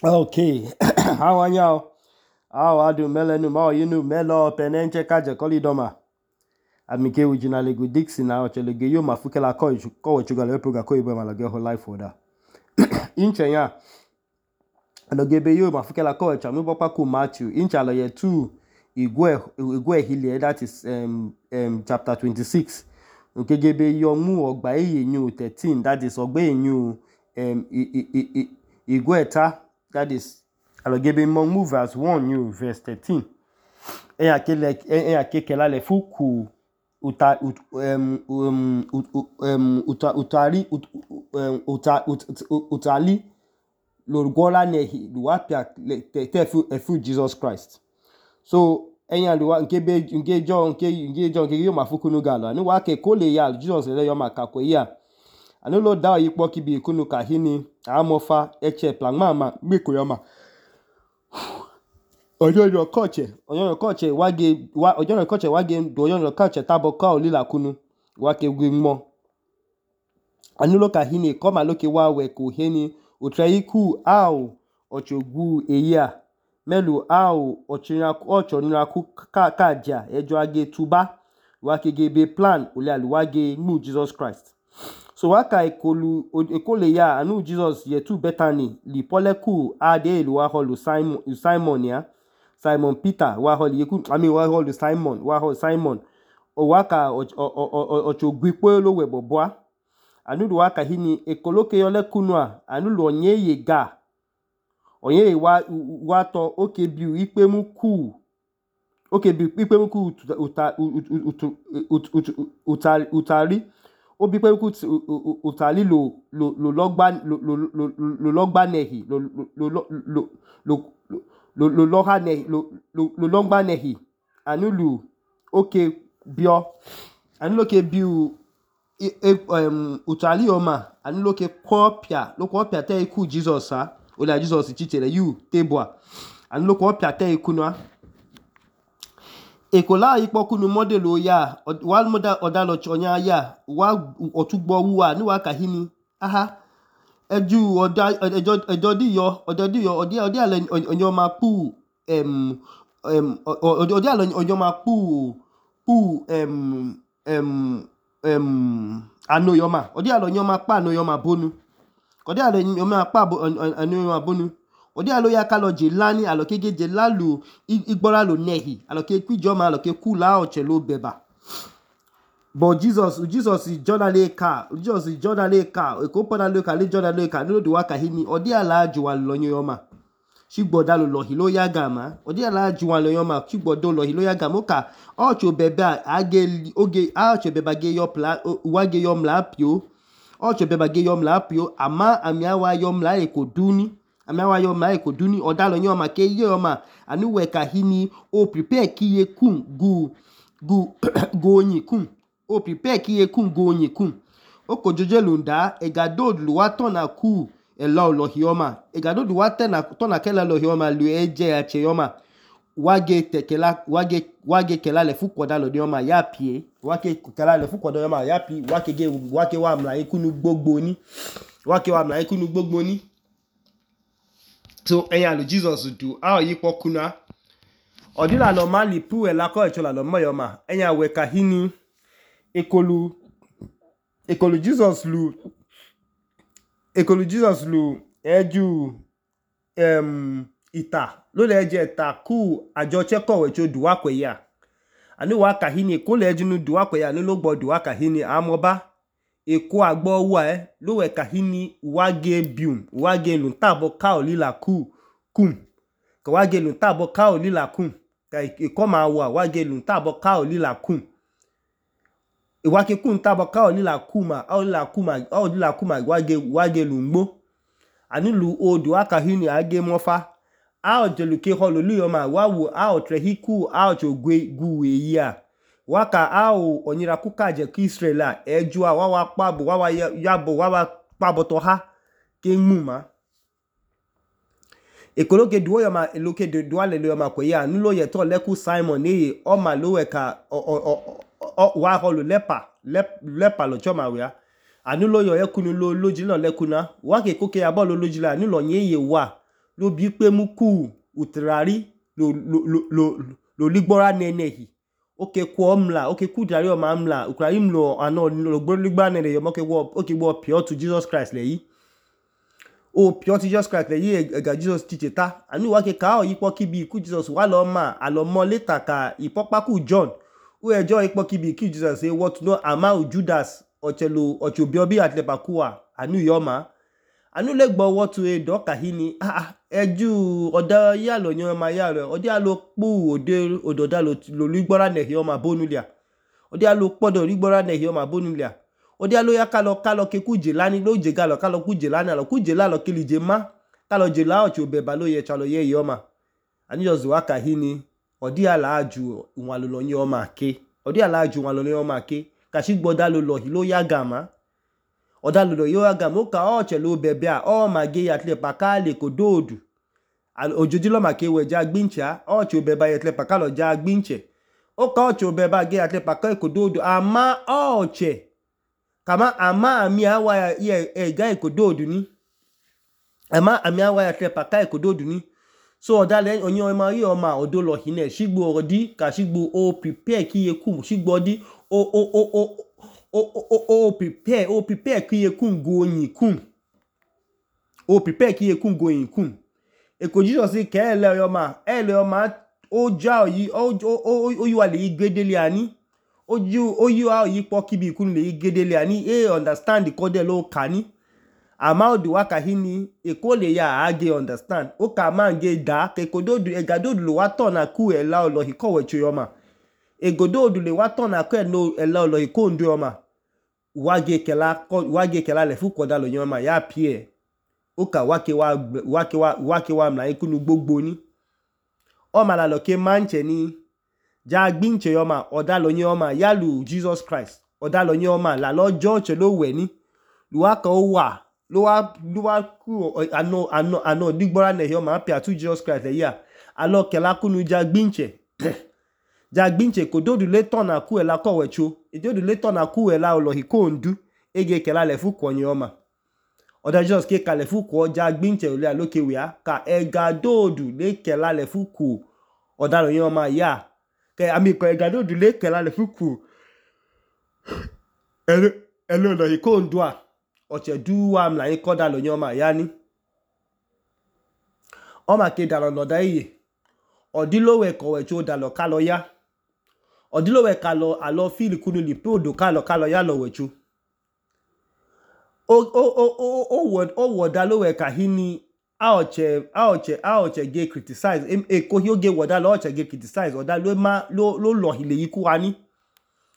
Okay, how are you? How are you? Melenu, ma yinu, melo, penenche, kaje, kolidoma. Amike ujina legu dixi na ochelege yo mafukela ko chuga le proga ko ibo malage ho life order. Inche ya. Adogebe yo mafukela ko chamu bopa ku Matthew. Incha lo ye 2 igwe hili that is chapter 26. Okegebe yo mu ogba eyenyu 13 that is ogba eyenyu igwe ta that is alogebe mo move verse 1 new verse 13. Eya kekela le fuku utali lorgola nehi luapia efu Jesus Christ. So enya luwa nke yo mafuku no galo ani wa ke kole ya Jesus le yo makako ya ani lo da yipo kibi kunu kahini amofa eche plangma ma meko yoma ojojo koche wage do koche taboka olila kunu wake gwimo ani lo kahini koma loke wa we ko heni utreiku au ochogwu eya melu au ochoniraku kaja ejo age tuba wake gebe plan ole wage mu Jesus Christ. So waka ekole ya anu Jesus ye tu Bethany li poleku ade wa holu Simon ya Simon Peter wa holu yeku wa holu Simon o waka ochogwipo lo we bobwa anu do waka hini ekoloke yole kunwa anu lo onye wa to okebiu ikpemu ku utali obi pe ku utali lo logba nehi lo logba nehi anulu oke bio anuloke biu utali oma anuloke kopia te iku Jesus ha ola Jesus chitere you tebua anuloke kopia te ikunwa ekola ipokunu model ya wal model odalo chonya ya wa otugbo wuwa ni wa kahini aha eju odi ale onyo mapu odi ale onyo mapu anoyoma odi ale onyo mapa anoyoma bonu odi ale onyo mapa anoyoma bonu odi alo ya kalo jelani alokege jelalu igbora lo nehi aloke kwijoma aloke kula ochelo beba but Jesus Jordan ka ekopoda le ka le Jordan le ka no do waka hini odi ala aju alonyo yoma shigboda lo hilo ya gama odi ala aju alonyoma shigbodo lo hilo ya gama ka ocho beba age oge ocho beba ge yo pla wage yo mlapio ocho beba ge yo mlapio ama amiawa yo mla ekoduni odalo nyoma ke yoma anu we kahini o prepare kiye kun gonyi kun o prepare kiye kun gonyi kun o kojoje lunda egadod luwa tona ku elo lohioma egadod luwa tona kela lohioma lu eje ache yoma wage kela le fukoda lo yoma yapie wage kela le fukoda yoma yapi wake wa mla ikunu gbogbo ni so eya lo Jesus do a yipo kuna odila lo mali pu ela ko echola lo moyoma eya we kahini ekolu Jesus lu eju ita lo le eje ta ku ajo cheko we cho duwa kwe ya ani wa kahini ekole eju nu duwa kwe ya ni lo gbo duwa kahini amoba eko agbo wa lo we kahini wage lu tabo ka olila kum ka wage lu tabo ka olila kum ka eko ma wa wage lu tabo ka olila kum iwake kun tabo ka olila kuma wage lu ngbo ani lu odu aka hini age mofa a ojeluke holo luyoma wawu a otrehiku a ochogwe ya waka a onyira kukaje ki Israela ejua wawa pabo wawa yabo wawa pabo to ha ke muma ekoloke duwo yoma eloke duwa le yoma ko ya nulo ye to leku Simon ni o ma lo we ka wa holo lepa lo choma we anulo yo ekunu lo lojilo lekuna wa ke koke abo lo lojilo anulo yeye wa lo bi pe mu ku utrari lo ligbora nenehi oke kwa mla oke ku utrari oma mla utrari mlo ano lo gboro ligbora nenehi oke gbo pure to Jesus Christ leyi o pure to Jesus Christ leyi ega Jesus teach ta anu wa ke ka o yipo kibi ku Jesus wa lo ma alo mo later ka ipopa ku John o ejo yipo kibi ku Jesus say what no ama u Judas ochelo obi obi atlepa kuwa anu yoma anu le gbo what to e do kahini eju oda ya lo yan ma ya re odi alo pu ode ododa lo ligbora nehi o ma bonulia odi alo podo ligbora nehi o ma bonulia odi alo ya kalo ke kuje lani lo je galo kalo kuje lani alo kuje la lo kilije ma kalo je la ocho beba lo ye chalo ye yoma anu just wa kahini odi ala aju unwa lo yan o ma ke odi ala aju unwa lo yan o ma ke kashi gboda lo lo hi lo ya gama oda lo yo aga mo ka o chelo bebe a o ma ge ya tle paka le kododu ojoji lo ma ke we ja gbincha o cho bebe ya tle paka lo ja gbinche o ka o cho bebe ge ya tle paka kododu ama o che kama ama ami awa ya ga kododu ni ama ami awa ya tle paka kododu ni so oda le onyo ma yi o ma odo lo hine shigbo odi ka shigbo o prepare ki ye ku shigbo di prepare ki ye kun go yin kun o prepare ki ye kun go yin kun e ko Jesus ke ele yo ma o ja yi o yi wa le igedele ani o yi wa yi po kibi kun le igedele ani e understand ko de lo kani ama o du wa kahini e ko le ya age understand o ka ma ge da ke kododu e gadodu lo wa ton na ku e la olo hi ko we cho yo ma e gododu le wa ton na ku e no e la olo hi ko ndu yo ma wage kela le fu koda lo yan ma ya pie o ka wake wa mla ikunu gbogbo ni o ma la lo ke manche ni ja gbinche yo ma oda lo yan ma ya lu Jesus Christ oda lo yan ma la lo church lo we ni lu wa ka o wa lo wa ku ano digbora ne yo ma pia to Jesus Christ le ya alo kela kunu ja gbinche ja gbinche kododu le ton na ku e la ko wecho edodu le ton na ku e la olo hi ko ndu ege kela le fu ko yan ma oda Jesus ke ka le fu ko ja gbinche ole aloke we a ka ega dodu le kela le fu ku oda lo yan ma ya ke ami ko ega dodu le kela le fu ku elo lo hi ko ndu a oche du wa mla yin koda lo yan ma ya ni o ma ke da lo da iye odilowe ko wecho da lo ka lo ya odilowe kalo alo feel kunu li pe odo kalo ya lo wechu o woda lowe ka hini aoche ge criticize ko hi oge woda lo oche ge criticize oda lo hile yiku ani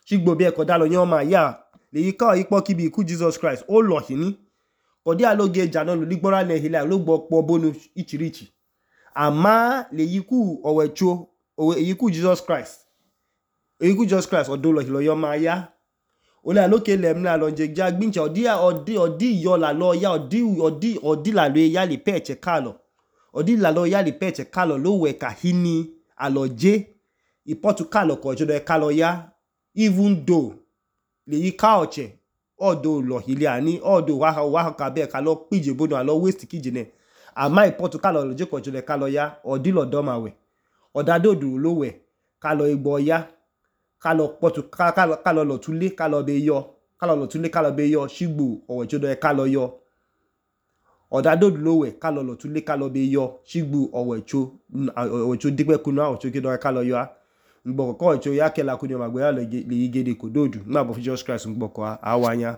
shigbo bi e ko da lo yan ma ya le yika ipo kibi ku Jesus Christ o lo hini odi aloge jana lo ligbora ne hile lo gbo po bonu ichirichi ama le yiku owecho yiku Jesus Christ eyiku Jesus Christ odo lo yo ma ya ole aloke le mla lo je ja gbinche odi yo la lo ya odi la lo ya le peche kalo odi la lo ya le peche kalo lo we ka hini aloje ipotu kalo ko jodo kalo ya even though le yika oche odo lo hile ani odo wa ka be ka lo pije bodo alo waste kije ne ama ipotu kalo lo je ko jodo kalo ya odi lo do ma we odadodu lo we kalo igbo ya kalo potu kalo lo tule kalo be yo shigbu owechodo e kalo yo odadodu lo we kalo lo tule kalo be yo shigbu owecho digbe kunu owecho kido e kalo yo ngbo ko owecho ya kela kunu ma gbe ya le yigede kododu ma bo Jesus Christ ngbo ko awanya